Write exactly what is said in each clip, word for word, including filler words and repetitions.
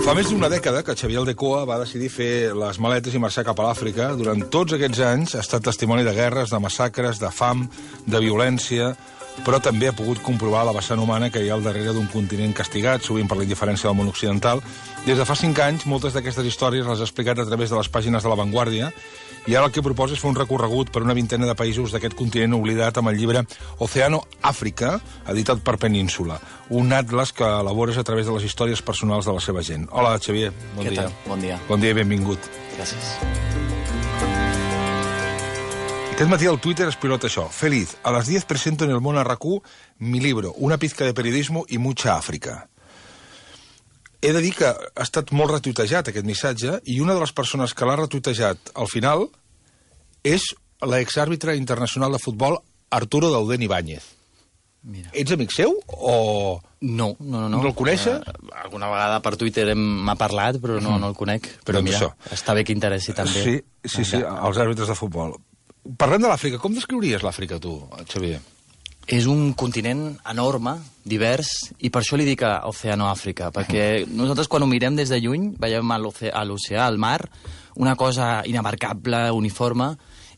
Fa més d'una dècada que Xavier Aldecoa va decidir fer les maletes i marxar cap a l'Àfrica. Durant tots aquests anys ha estat testimoni de guerres, de massacres, de fam, de violència, però també ha pogut comprovar la vessant humana que hi ha al darrere d'un continent castigat, sovint per la indiferència del món occidental. Des de fa cinc anys, moltes d'aquestes històries les ha explicat a través de les pàgines de La Vanguardia, i ara el que proposa és fer un recorregut per una vintena de països d'aquest continent oblidat amb el llibre Oceano Àfrica, editat per Península, un atles que elabores a través de les històries personals de la seva gent. Hola, Xavier, bon Què dia. tal? Bon dia. Bon dia i benvingut. Gràcies. Aquest matí al Twitter es pilota això. Feliz, a las diez presento en el Món R Q mi libro, Una pizca de periodismo y mucha África. He de dir que ha estat molt retuitejat aquest missatge, i una de les persones que l'ha retuitejat al final és l'exàrbitre internacional de futbol Arturo Dauden Ibáñez. Mira. Ets amic seu o... No, no, no. No el coneixes? Uh, alguna vegada per Twitter m'ha parlat, però no, no el conec. Però Doncs mira, això. Està bé que interessi també. Sí, sí, sí, els àrbitres de futbol. Parlem de l'Àfrica. Com descriuries l'Àfrica, tu, Xavier? És un continent enorme, divers, i per això li dic a Oceano Àfrica, perquè nosaltres quan ho mirem des de lluny veiem a l'oceà, al mar, una cosa inabarcable, uniforme,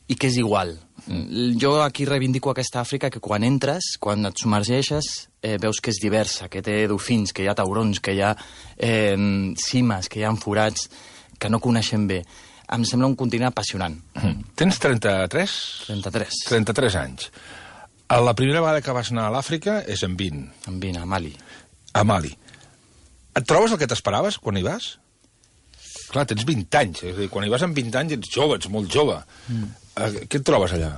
i que és igual. Mm. Jo aquí reivindico aquesta Àfrica que quan entres, quan et submergeixes, eh, veus que és diversa, que té dofins, que hi ha taurons, que hi ha eh, cimes, que hi ha forats, que no coneixem bé. Em sembla un continent apassionant. Mm. Tens trenta-tres? trenta-tres. trenta-tres anys. La primera vegada que vas anar a l'Àfrica és en vint. En vint, a Mali. A Mali. Et trobes el que t'esperaves quan hi vas? Clar, tens vint anys. És a dir, quan hi vas amb vint anys ets jove, ets molt jove. Mm. Què et trobes allà?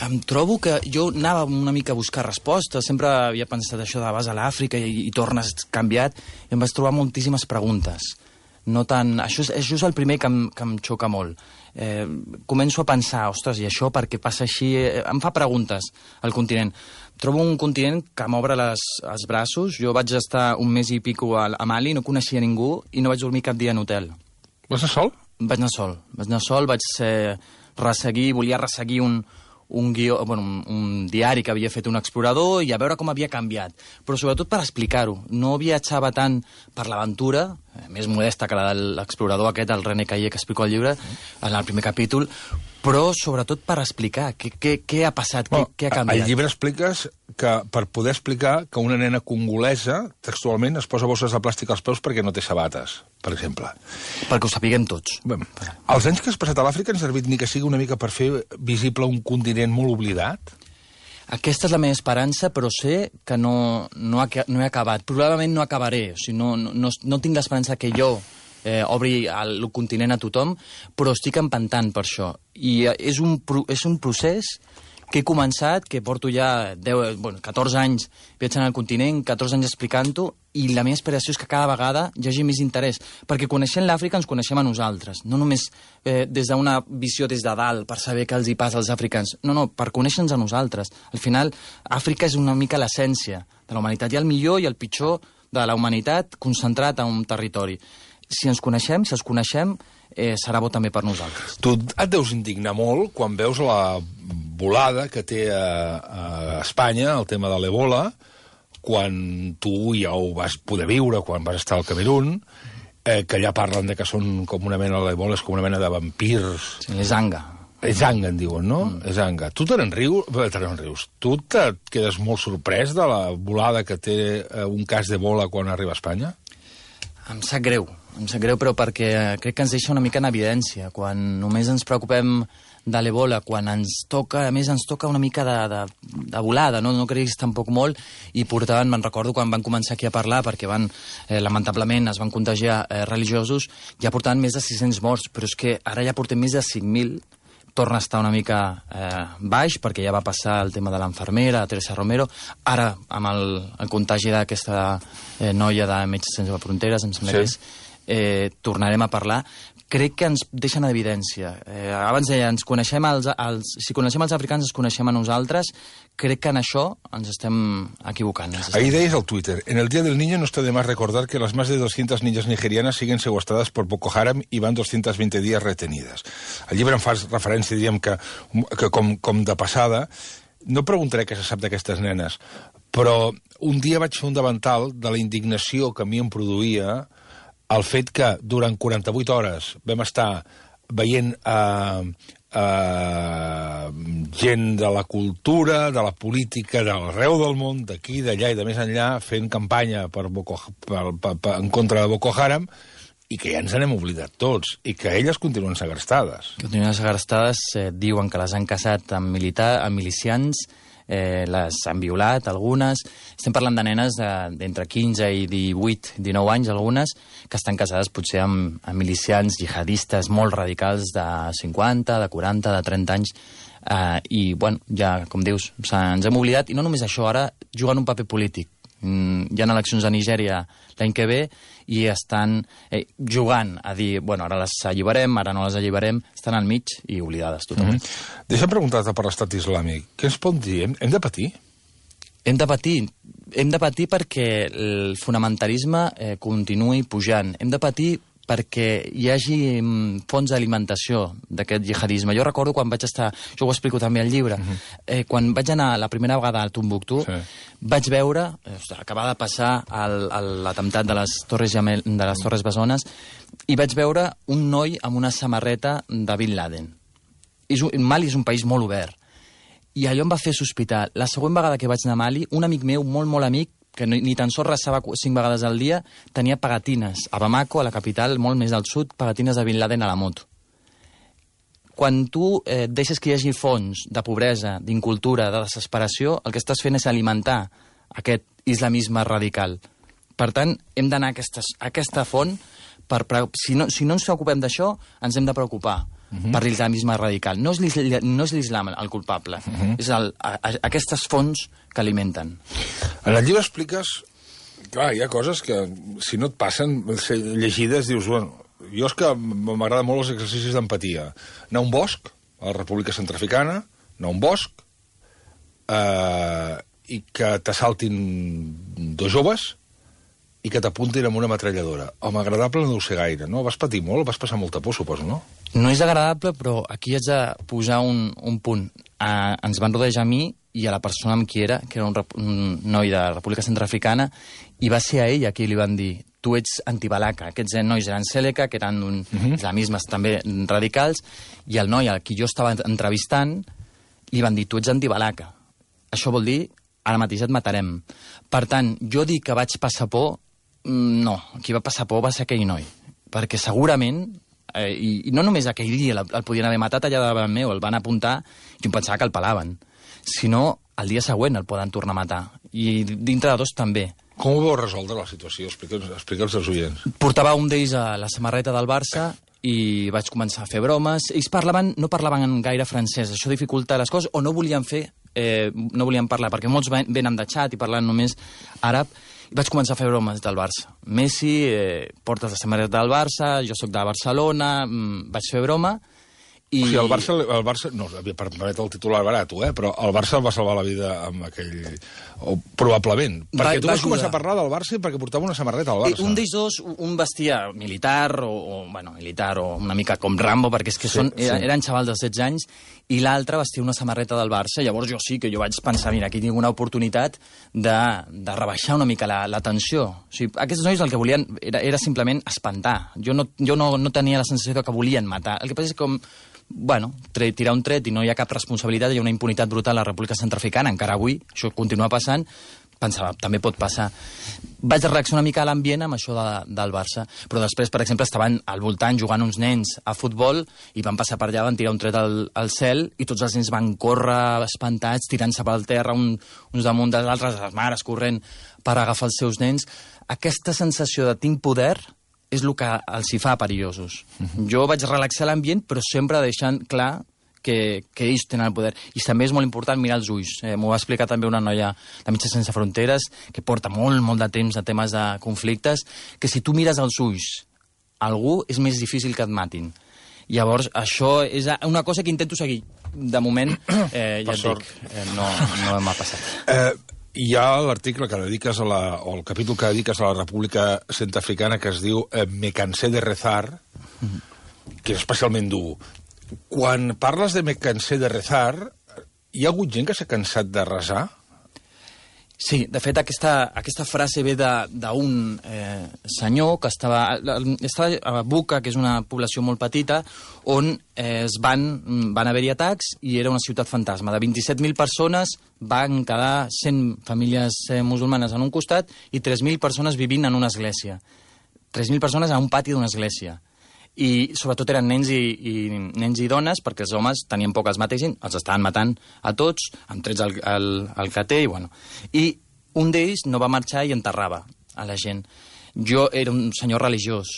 Em trobo que jo anava una mica a buscar respostes, sempre havia pensat això de vas a l'Àfrica i, i tornes canviat, i em vaig trobar moltíssimes preguntes. No tant... Això és, això és el primer que em, que em xoca molt. Eh, començo a pensar, ostres, i això per què passa així? Eh, em fa preguntes al continent. Trobo un continent que m'obre les, els braços. Jo vaig estar un mes i pico a, a Mali, no coneixia ningú i no vaig dormir cap dia en hotel. Vas anar sol? Vaig anar sol. Vaig anar sol, vaig eh, resseguir, volia resseguir un, un, guió, bueno, un, un diari que havia fet un explorador i a veure com havia canviat. Però sobretot per explicar-ho. No viatjava tant per l'aventura, eh, més modesta que la de l'explorador aquest, el René Caillé, que explico al llibre, en el primer capítol, però sobretot per explicar què, què, què ha passat, Bueno, què, què ha canviat. Al llibre expliques que per poder explicar que una nena congolesa textualment es posa bosses de plàstic als peus perquè no té sabates, per exemple. Perquè ho sapiguem tots. Bé, els anys que has passat a l'Àfrica han servit ni que sigui una mica per fer visible un continent molt oblidat? Aquesta és la meva esperança, però sé que no, no, ha, no he acabat. Probablement no acabaré. O sigui, no, no, no tinc l'esperança que jo eh, obri el, el continent a tothom, però estic empantant per això. I eh, és, un, és un procés que he començat, que porto ja deu, bueno, catorze anys viatjant al continent, catorze anys explicant-ho, i la meva aspiració és que cada vegada hi hagi més interès, perquè coneixent l'Àfrica ens coneixem a nosaltres, no només eh, des d'una visió des de dalt, per saber què els hi passa als africans, no, no, per conèixer-nos a nosaltres. Al final, Àfrica és una mica l'essència de la humanitat. Hi ha el millor i el pitjor de la humanitat concentrat en un territori. Si ens coneixem, si els coneixem, eh, serà bo també per nosaltres. Tu et deus indignar molt quan veus la volada que té a, a Espanya el tema de l'Ebola, quan tu ja ho vas poder viure, quan vas estar al Camerún, eh, que allà parlen de que són com una mena, l'Ebola és com una mena de vampirs. Sí, és anga. És anga, en diuen, no? Mm. És anga. Tu te n'enrius? Te n'enrius. Tu te quedes molt sorprès de la volada que té eh, un cas d'Ebola quan arriba a Espanya? Em sap greu, em sap greu, però perquè crec que ens deixa una mica en evidència. Quan només ens preocupem de l'Ebola, quan ens toca, a més ens toca una mica de, de, de volada, no, no creguis tampoc molt, i portaven, me'n recordo quan van començar aquí a parlar, perquè van, eh, lamentablement, es van contagiar eh, religiosos, ja portaven més de sis-cents morts, però és que ara ja portem més de cinc mil, torna a estar una mica eh, baix, perquè ja va passar el tema de l'enfermera, Teresa Romero, ara amb el, el contagi d'aquesta eh, noia de Metges Sense Fronteres, em sembla sí. que és, eh, tornarem a parlar. Crec que ens deixen en evidència. Eh, abans deia, ens coneixem els, els, si coneixem els africans, ens coneixem a nosaltres. Crec que en això ens estem equivocant. Ens estem... Ahí deies al Twitter, en el Día del Niño no está de más recordar que las más de doscientas niñas nigerianas siguen secuestradas por Boko Haram y van doscientos veinte días retenidas. Al llibre em fas referència, diríem, que, que com, com de passada, no preguntaré què se sap d'aquestes nenes, però un dia vaig fer un davantal de la indignació que a mi em produïa el fet que durant quaranta-vuit hores vam estar veient eh, eh, gent de la cultura, de la política, de l'arreu del món, d'aquí, d'allà i de més enllà, fent campanya per Boko, per, per, per, en contra de Boko Haram, i que ja ens n'hem oblidat tots, i que elles continuen segrestades. Continuen segrestades, eh, diuen que les han casat amb, militar, amb milicians, eh, les han violat, algunes. Estem parlant de nenes d'entre quinze i divuit, dinou anys, algunes, que estan casades potser amb, amb milicians jihadistes molt radicals de cinquanta, de quaranta, de trenta anys, eh, i, bueno, ja, com dius, ens hem oblidat, i no només això, ara juguen un paper polític. Mm, hi ha eleccions a Nigèria l'any que ve i estan eh, jugant a dir, bueno, ara les alliberem, ara no les alliberem, estan al mig i oblidades totalment. Mm -hmm. Deixa'm preguntar-te per l'estat islàmic. Què ens pot dir? Hem, hem de patir? Hem de patir. Hem de patir perquè el fonamentalisme eh, continuï pujant. Hem de patir perquè hi hagi mm, fonts d'alimentació d'aquest jihadisme. Jo recordo quan vaig estar, jo ho explico també al llibre, uh-huh. eh, quan vaig anar la primera vegada a Tombuctú, sí. vaig veure, eh, acabava de passar l'atemptat de les Torres Gemel, de les Torres Bessones, i vaig veure un noi amb una samarreta de Bin Laden. És un, Mali és un país molt obert, i allò em va fer sospitar. La següent vegada que vaig anar a Mali, un amic meu, molt, molt amic, que ni, ni tan sols resava cinc vegades al dia, tenia pegatines. A Bamako, a la capital, molt més al sud, pegatines de Bin Laden a la moto. Quan tu eh, deixes que hi hagi fons de pobresa, d'incultura, de desesperació, el que estàs fent és alimentar aquest islamisme radical. Per tant, hem d'anar a, aquestes, a aquesta font, per, si, no, si no ens preocupem d'això, ens hem de preocupar. Uh-huh. Per l'islamisme radical. No és l'islam el culpable, uh-huh. és el, a, a, aquestes fonts que alimenten. En el llibre expliques... Clar, hi ha coses que, si no et passen, ser llegides, dius, bueno, jo és que m'agrada molt els exercicis d'empatia. Anar a un bosc, a la República Centrafricana, anar a un bosc, eh, i que t'assaltin dos joves, i que t'apuntin amb una metralladora. Home, agradable no deu ser gaire, no? Vas patir molt, vas passar molta por, suposo, no? No és agradable, però aquí haig de posar un, un punt. Uh, ens van rodejar a mi i a la persona amb qui era, que era un, un noi de la República Centrafricana, i va ser a ella qui li van dir tu ets antibalaca. Aquests nois eren Sèleca, que eren un uh-huh. islamismes també radicals, i el noi al qui jo estava entrevistant li van dir tu ets antibalaca. Això vol dir ara mateix et matarem. Per tant, jo dic que vaig passar por, no, qui va passar por va ser aquell noi, perquè segurament, eh, i, i no només aquell dia el, el podien haver matat allà davant meu, el van apuntar i em pensava que el pelaven, sinó el dia següent el poden tornar a matar, i dintre de dos també. Com ho vau resoldre la situació? Explica'ls explica als oients. Portava un d'ells a la samarreta del Barça i vaig començar a fer bromes. Ells parlaven, no parlaven gaire francès, això dificulta les coses, o no volien fer, eh, no volien parlar, perquè molts venen de xat i parlen només àrab. Vaig començar a fer bromes del Barça. Messi, eh, portes la samarreta del Barça, jo sóc de Barcelona, mm, vaig fer broma. I... O sigui, el Barça, el Barça no, per permetre el titular barat, eh, però el Barça el va salvar la vida amb aquell... O, probablement. Perquè va, tu vas començar a parlar del Barça perquè portava una samarreta al Barça. Un d'ells dos, un vestia militar, o, o, bueno, militar, o una mica com Rambo, perquè és que sí, són, sí. eren xavals de setze anys, i l'altre vestia una samarreta del Barça. Llavors jo sí que jo vaig pensar, mira, aquí tinc una oportunitat de, de rebaixar una mica la, la tensió. O sigui, aquests nois el que volien era, era simplement espantar. Jo, no, jo no, no tenia la sensació que volien matar. El que passa és que com... Bueno, tirar un tret i no hi ha cap responsabilitat, hi ha una impunitat brutal a la República Centrafricana, encara avui, això continua passant, pensava, també pot passar. Vaig reaccionar una mica a l'ambient amb això de, del Barça, però després, per exemple, estaven al voltant jugant uns nens a futbol i van passar per allà, van tirar un tret al, al cel i tots els nens van córrer espantats, tirant-se pel terra, un, uns damunt dels altres, les mares corrent per agafar els seus nens. Aquesta sensació de tinc poder és el que els hi fa perillosos. Uh-huh. Jo vaig relaxar l'ambient, però sempre deixant clar que, que ells tenen el poder. I també és molt important mirar els ulls. Eh, M'ho va explicar també una noia de Metges Sense Fronteres, que porta molt, molt de temps de temes de conflictes, que si tu mires els ulls a algú és més difícil que et matin. Llavors, això és una cosa que intento seguir. De moment, eh, ja et dic, eh, no, no m'ha passat. Eh... Hi ha l'article que dediques a la, o el capítol que dediques a la República Centrafricana que es diu eh, Me cansé de rezar, mm-hmm. que és especialment dur. Quan parles de Me cansé de rezar, hi ha hagut gent que s'ha cansat de resar? Sí, de fet, aquesta, aquesta frase ve d'un eh, senyor que estava, estava a Buca, que és una població molt petita, on eh, es van, van haver-hi atacs i era una ciutat fantasma. De vint-i-set mil persones van quedar cent famílies eh, musulmanes en un costat i tres mil persones vivint en una església. tres mil persones a un pati d'una església. I sobretot eren nens i, i, nens i dones, perquè els homes tenien poc els mateixin, els estaven matant a tots, amb trets al, al, al cater, i bueno. I un d'ells no va marxar i enterrava a la gent. Jo era un senyor religiós,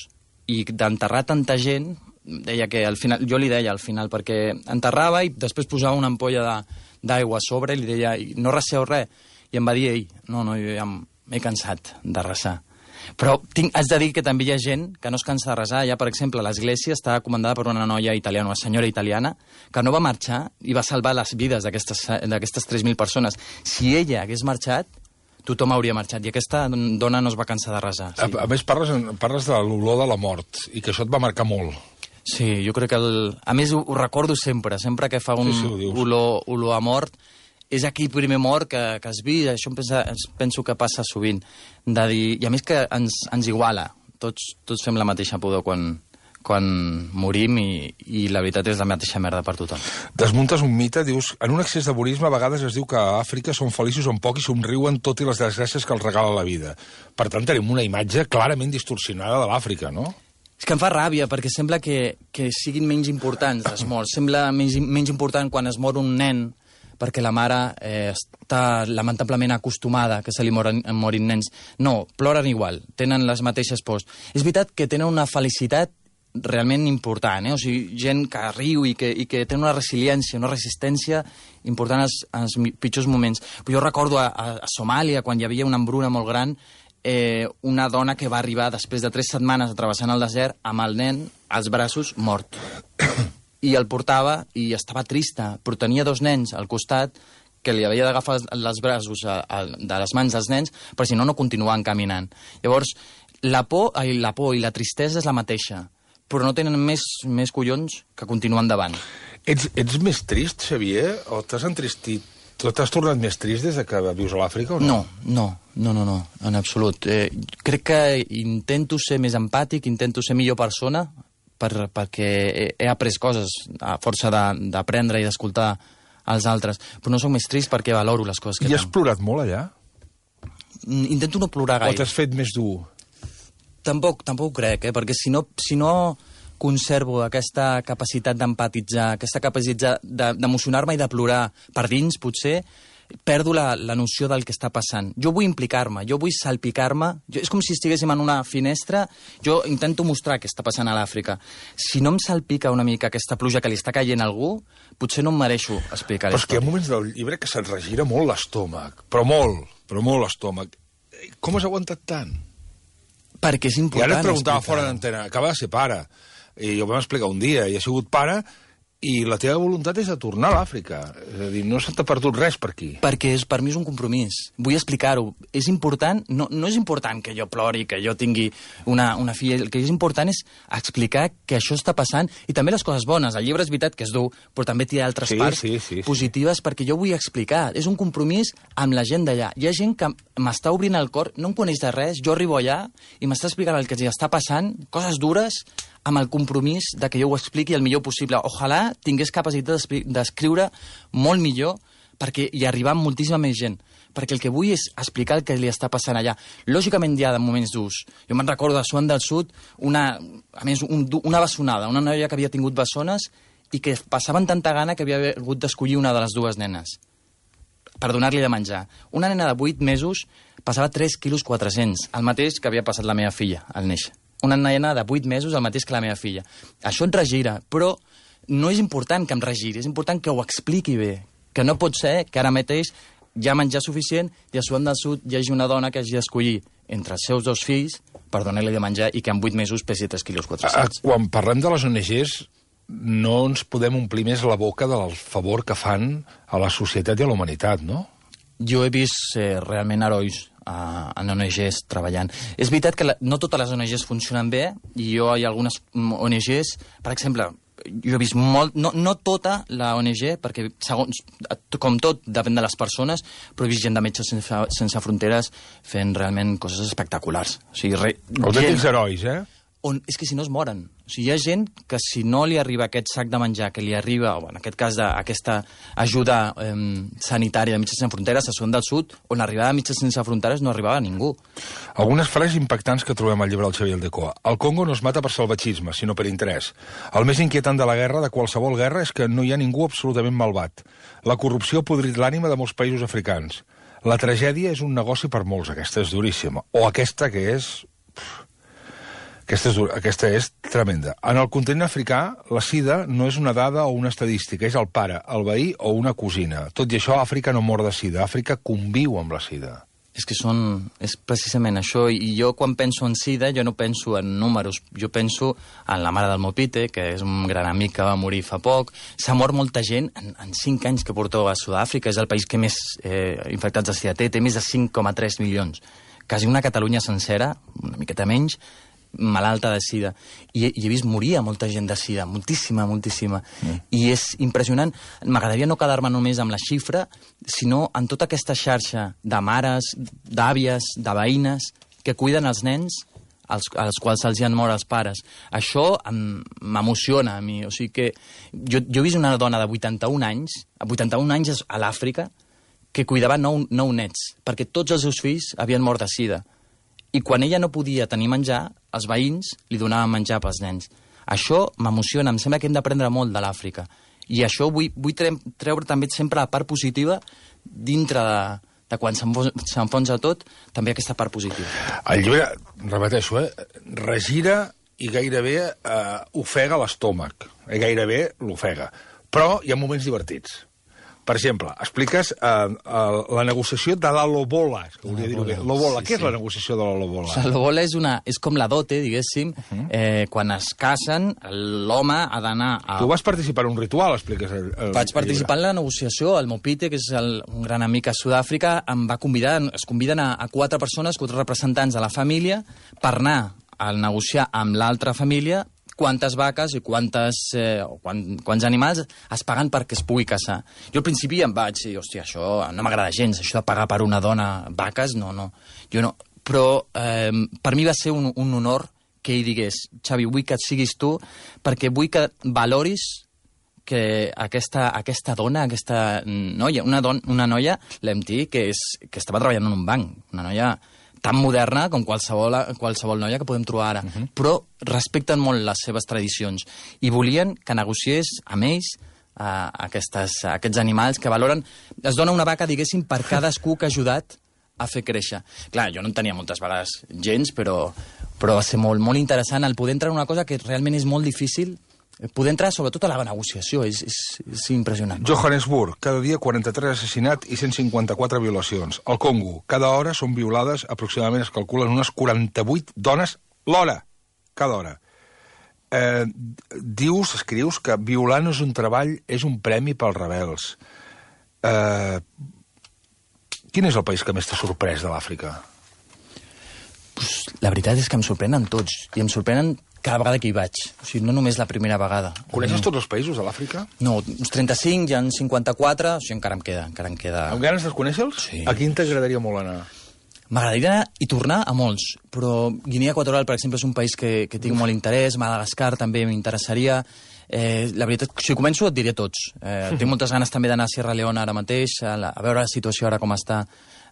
i d'enterrar tanta gent, deia que al final, jo li deia al final, perquè enterrava i després posava una ampolla d'aigua a sobre i li deia, no reseu res, i em va dir ell, no, no, jo ja m'he cansat de resar. Però tinc, haig de dir que també hi ha gent que no es cansa de resar. Ja, per exemple, l'església està comandada per una noia italiana, una senyora italiana, que no va marxar i va salvar les vides d'aquestes tres mil persones. Si ella hagués marxat, tothom hauria marxat, i aquesta dona no es va cansar de resar. Sí. A, a més, parles, parles de l'olor de la mort, i que això et va marcar molt. Sí, jo crec que... El... A més, ho, ho recordo sempre, sempre que fa un sí, sí, olor, olor a mort, és aquell primer mort que, que has vist, això em pensa, penso que passa sovint. De dir, i a més que ens, ens iguala, tots, tots fem la mateixa pudor quan, quan morim i, i la veritat és la mateixa merda per tothom. Desmuntes un mite, dius, en un excés de bonisme a vegades es diu que a Àfrica són feliços un poc i somriuen tot i les desgràcies que els regala la vida. Per tant, tenim una imatge clarament distorsionada de l'Àfrica, no? És que em fa ràbia, perquè sembla que, que siguin menys importants les morts. Sembla menys, menys important quan es mor un nen, perquè la mare eh, està lamentablement acostumada que se li morin, morin nens. No, ploren igual, tenen les mateixes pors. És veritat que tenen una felicitat realment important, eh? O sigui, gent que riu i que, i que té una resiliència, una resistència important als, als pitjors moments. Però jo recordo a, a, a Somàlia, quan hi havia una hambruna molt gran, eh, una dona que va arribar després de tres setmanes travessant el desert amb el nen als braços mort. I el portava i estava trista, però tenia dos nens al costat que li havia d'agafar els braços a, a, de les mans dels nens, perquè si no, no continuaven caminant. Llavors, la por, ai, la por i la tristesa és la mateixa, però no tenen més, més collons que continuar endavant. Ets, ets més trist, Xavier, o t'has entristit? T'has tornat més trist des que vius a l'Àfrica o no? No, no, no, no, no, en absolut. Eh, crec que intento ser més empàtic, intento ser millor persona, Per, perquè he, he après coses a força d'aprendre i d'escoltar als altres, però no soc més trist perquè valoro les coses que I has plorat molt allà? Intento no plorar gaire. O t'has fet més dur? Tampoc, tampoc ho crec, eh? Perquè si no, si no conservo aquesta capacitat d'empatitzar, aquesta capacitat d'emocionar-me i de plorar per dins, potser, perdo la, la noció del que està passant. Jo vull implicar-me, jo vull salpicar-me. És com si estiguéssim en una finestra, jo intento mostrar què està passant a l'Àfrica. Si no em salpica una mica aquesta pluja que li està caient a algú, potser no em mereixo explicar això. Però és que hi ha moments del llibre que se't regira molt l'estómac, però molt, però molt l'estómac. Com has aguantat tant? Perquè és important. I ara et preguntava fora d'antena, acaba de ser pare, i ho vam explicar un dia, i ha sigut pare, i la teva voluntat és de tornar a l'Àfrica. És a dir, no se t'ha perdut res per aquí. Perquè és, per mi és un compromís. Vull explicar-ho. És important, no, no és important que jo plori, que jo tingui una, una filla. El que és important és explicar que això està passant, i també les coses bones. El llibre és veritat que és dur, però també té altres sí, parts sí, sí, positives, sí. Perquè jo vull explicar. És un compromís amb la gent d'allà. Hi ha gent que m'està obrint el cor, no em coneix de res, jo arribo allà i m'està explicant el que els està passant, coses dures, amb el compromís de que jo ho expliqui el millor possible. Ojalà tingués capacitat d'escriure molt millor perquè hi arribar amb moltíssima més gent. Perquè el que vull és explicar el que li està passant allà. Lògicament hi ha moments durs. Jo me'n recordo a Sudan del Sud, una, a més, un, una bessonada, una noia que havia tingut bessones i que passaven tanta gana que havia hagut d'escollir una de les dues nenes per donar-li de menjar. Una nena de vuit mesos passava tres quilos quatre-cents, el mateix que havia passat la meva filla al néixer. Una nena de vuit mesos, el mateix que la meva filla. Això et regira, però no és important que em regiri, és important que ho expliqui bé. Que no pot ser que ara mateix hi ha menjar suficient i a Sudan del Sud hi hagi una dona que hagi d'escollir entre els seus dos fills per donar-li de menjar i que en vuit mesos pesi tres quilos quatre-cents. Quan parlem de les O N Ges, no ens podem omplir més la boca del favor que fan a la societat i a la humanitat, no? Jo he vist eh, realment herois a, en O N Ges treballant. És veritat que la, no totes les O N Ges funcionen bé, i jo hi ha algunes O N Ges, per exemple, jo he vist molt, no, no tota la O N G, perquè segons, com tot depèn de les persones, però he vist gent de Metges Sense, sense Fronteres fent realment coses espectaculars. O sigui, re, autèntics herois, eh? On, és que si no es moren. O sigui, hi ha gent que si no li arriba aquest sac de menjar, que li arriba, o en aquest cas de, aquesta ajuda eh, sanitària de Metges Sense Fronteres a Sudan del Sud, on arribava a Metges Sense Fronteres no arribava ningú. Algunes frases impactants que trobem al llibre del Xavier Aldecoa. El Congo no es mata per salvatgisme, sinó per interès. El més inquietant de la guerra, de qualsevol guerra, és que no hi ha ningú absolutament malvat. La corrupció ha podrit l'ànima de molts països africans. La tragèdia és un negoci per molts, aquesta és duríssima. O aquesta que és... Aquesta és, aquesta és tremenda. En el continent africà, la sida no és una dada o una estadística, és el pare, el veí o una cosina. Tot i això, Àfrica no mor de sida. Àfrica conviu amb la sida. És que són... És precisament això. I jo, quan penso en sida, jo no penso en números. Jo penso en la mare del Mopite, que és un gran amic que va morir fa poc. S'ha mort molta gent en, en cinc anys que portó a Sud-àfrica. És el país que més eh, infectats de sida té. Té més de cinc coma tres milions. Quasi una Catalunya sencera, una miqueta menys, malalta de sida. I, i he vist morir a molta gent de sida, moltíssima, moltíssima. Mm. I és impressionant. M'agradaria no quedar-me només amb la xifra, sinó en tota aquesta xarxa de mares, d'àvies, de veïnes, que cuiden els nens als, als quals se'ls han mort els pares. Això m'emociona a mi. O sigui que jo, jo he vist una dona de vuitanta-un anys, a vuitanta-un anys a l'Àfrica, que cuidava nou, nou nets, perquè tots els seus fills havien mort de sida. I quan ella no podia tenir menjar, els veïns li donaven menjar pels nens. Això m'emociona, em sembla que hem d'aprendre molt de l'Àfrica. I això vull, vull treure també sempre la part positiva dintre de, de quan s'enfonsa tot, també aquesta part positiva. El llibre, repeteixo, eh, regira i gairebé eh, ofega l'estómac. Eh, gairebé l'ofega. Però hi ha moments divertits. Per exemple, expliques eh, eh, la negociació de la lobola. Que volia dir-ho bé. Lobola. Sí, Què sí. és la negociació de la lobola? La lobola és, una, és com la dote, diguéssim. Uh -huh. eh, quan es casen, l'home ha d'anar a... Tu vas participar en un ritual, expliques. El, el Vaig participar en la negociació. El Mopite, que és el, un gran amic a Sud-àfrica, em va convidar, es conviden a, a quatre persones, quatre representants de la família, per anar a negociar amb l'altra família quantes vaques i quantes, eh, quant, quants animals es paguen perquè es pugui caçar. Jo al principi em vaig dir, hòstia, això no m'agrada gens, això de pagar per una dona vaques, no, no. Jo no. Però eh, per mi va ser un, un honor que ell digués, Xavi, vull que et siguis tu, perquè vull que valoris que aquesta, aquesta dona, aquesta noia, una, don, una noia, l'M T, que, és, que estava treballant en un banc, una noia tan moderna com qualsevol, qualsevol noia que podem trobar ara, uh -huh. però respecten molt les seves tradicions i volien que negociés amb ells uh, aquestes, aquests animals que valoren... Es dona una vaca, diguéssim, per cadascú que ha ajudat a fer créixer. Clar, jo no en tenia moltes vegades gens, però, però va ser molt, molt interessant el poder entrar en una cosa que realment és molt difícil, poder entrar sobretot a la negociació, és, és, és impressionant. Johannesburg, cada dia quaranta-tres assassinats i cent cinquanta-quatre violacions. Al Congo, cada hora són violades, aproximadament es calculen unes quaranta-vuit dones l'hora, cada hora. Eh, dius, escrius, que violar no és un treball, és un premi pels rebels. Eh, quin és el país que més t'ha sorprès de l'Àfrica? Pues, la veritat és que em sorprenen tots, i em sorprenen cada vegada que hi vaig. O sigui, no només la primera vegada. Coneixes tots els països de l'Àfrica? No, uns trenta-cinc, hi ha cinquanta-quatre, o sigui, encara em queda. Encara em queda... Amb ganes de conèixer-los? Sí. A quin t'agradaria molt anar? M'agradaria anar i tornar a molts, però Guinea Equatorial, per exemple, és un país que, que tinc molt interès, Madagascar també m'interessaria. Eh, la veritat, si començo et diré tots. Eh, tinc moltes ganes també d'anar a Sierra Leone ara mateix, a, la, a veure la situació ara com està,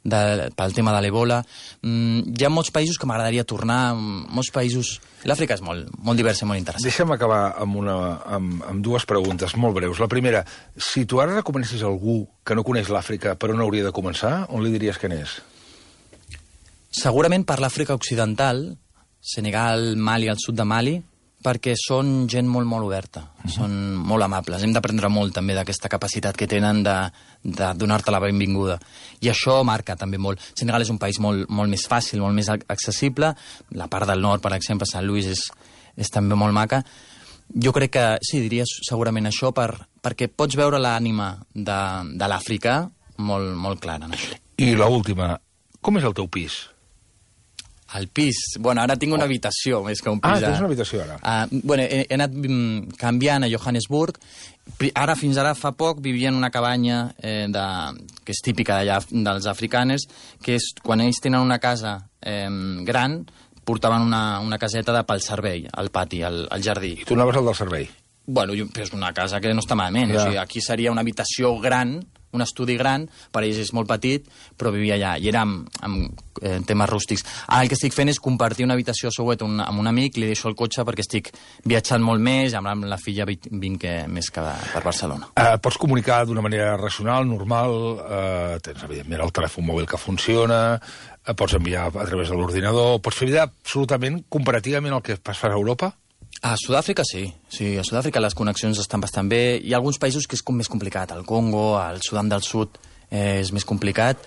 de, pel tema de l'Ebola. Mm, hi ha molts països que m'agradaria tornar, molts països... L'Àfrica és molt, molt diversa i molt interessant. Deixa'm acabar amb, una, amb, amb dues preguntes molt breus. La primera, si tu ara recomanessis algú que no coneix l'Àfrica però no hauria de començar, on li diries que n'és? Segurament per l'Àfrica Occidental, Senegal, Mali, al sud de Mali, perquè són gent molt, molt oberta, uh-huh. són molt amables. Hem d'aprendre molt també d'aquesta capacitat que tenen de, de donar-te la benvinguda. I això marca també molt. Senegal és un país molt, molt més fàcil, molt més accessible. La part del nord, per exemple, Sant Louis, és, és també molt maca. Jo crec que, sí, diria segurament això, per, perquè pots veure l'ànima de, de l'Àfrica molt, molt clara en això. I l'última, com és el teu pis? Al pis. Bueno, ara tinc una habitació, més que un pis. Ah, tens una habitació, ara. Uh, bueno, he, he anat mm, canviant a Johannesburg. Ara, fins ara, fa poc, vivia en una cabanya eh, de, que és típica d'allà, dels africanes, que és, quan ells tenen una casa eh, gran, portaven una, una caseta de pel servei, al pati, al, al jardí. I tu anaves al del servei? Bueno, és una casa que no està malament. Ja. O sigui, aquí seria una habitació gran, un estudi gran, per ells és molt petit, però vivia allà, i era amb, amb eh, temes rústics. Ara el que estic fent és compartir una habitació a Soweto un, amb un amic, li deixo el cotxe perquè estic viatjant molt més, amb la filla vinc més que per Barcelona. Eh, pots comunicar d'una manera racional, normal, eh, tens evidentment el telèfon mòbil que funciona, eh, pots enviar a través de l'ordinador, pots fer vida absolutament comparativament el que fas a Europa? A Sud-àfrica sí. sí, a Sud-àfrica les connexions estan bastant bé. Hi ha alguns països que és com més complicat. El Congo, el Sudan del Sud eh, és més complicat,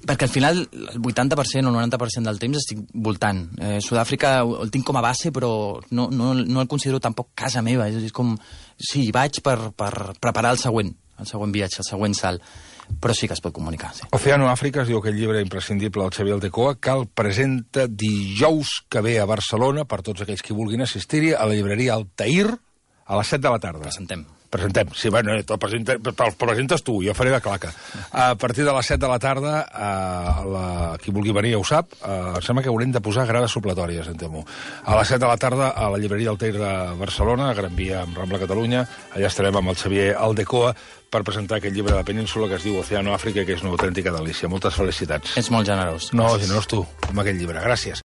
perquè al final el vuitanta per cent o el noranta per cent del temps estic voltant. Eh, Sud-àfrica el tinc com a base, però no, no, no el considero tampoc casa meva. És, és com, sí, vaig per, per preparar el següent, el següent viatge, el següent salt. Però sí que es pot comunicar, sí. Oceano Àfrica es diu aquell llibre imprescindible del Xavier Aldecoa, que el presenta dijous que ve a Barcelona, per tots aquells que vulguin assistir-hi, a la llibreria Altair, a les set de la tarda. Presentem. Presentem, sí, bueno, te'l presenta, te'l presentes tu, jo faré de claca. A partir de les set de la tarda, a la, qui vulgui venir ja ho sap, uh, em sembla que haurem de posar grades supletòries, em temo. A les set de la tarda, a la llibreria Altair de Barcelona, a Gran Via, amb Rambla Catalunya, allà estarem amb el Xavier Aldecoa per presentar aquest llibre de la península que es diu Oceano Àfrica, que és una autèntica delícia. Moltes felicitats. Ets molt generós. No, generós tu, amb aquest llibre. Gràcies.